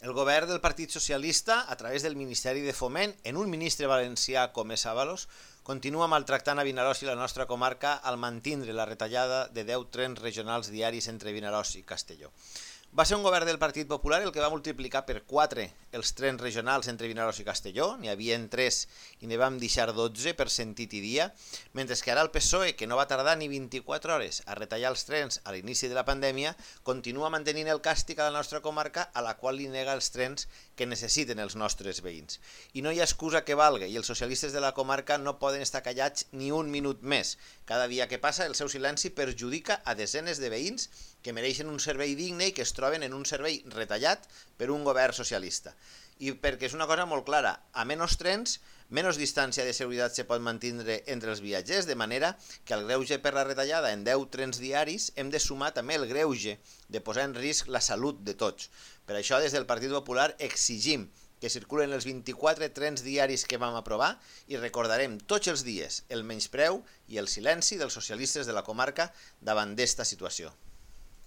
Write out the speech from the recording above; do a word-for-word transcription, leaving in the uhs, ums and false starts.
El govern del Partit Socialista, a través del Ministeri de Foment, en un ministre valencià com és Ábalos, continua maltractant a Vinaròs i la nostra comarca al mantindre la retallada de deu trens regionals diaris entre Vinaròs i Castelló. Va ser un govern del Partit Popular el que va multiplicar per quatre els trens regionals entre Vinaròs i Castelló, n'hi havia tres i ne vam deixar dotze per sentit i dia, mentre que ara el P S O E, que no va tardar ni vint-i-quatre hores a retallar els trens a l'inici de la pandèmia, continua mantenint el càstig a la nostra comarca, a la qual li nega els trens que necessiten els nostres veïns. I no hi ha excusa que valga, i els socialistes de la comarca no poden estar callats ni un minut més. Cada dia que passa el seu silenci perjudica a desenes de veïns que mereixen un servei digne i que es troben en un servei retallat per un govern socialista. I perquè és una cosa molt clara, a menys trens, menys distància de seguretat se pot mantenir entre els viatgers, de manera que al greuge per la retallada en deu trens diaris hem de sumar també el greuge de posar en risc la salut de tots. Per això, des del Partit Popular exigim que circulen els vint-i-quatre trens diaris que vam aprovar i recordarem tots els dies el menyspreu i el silenci dels socialistes de la comarca davant d'esta situació.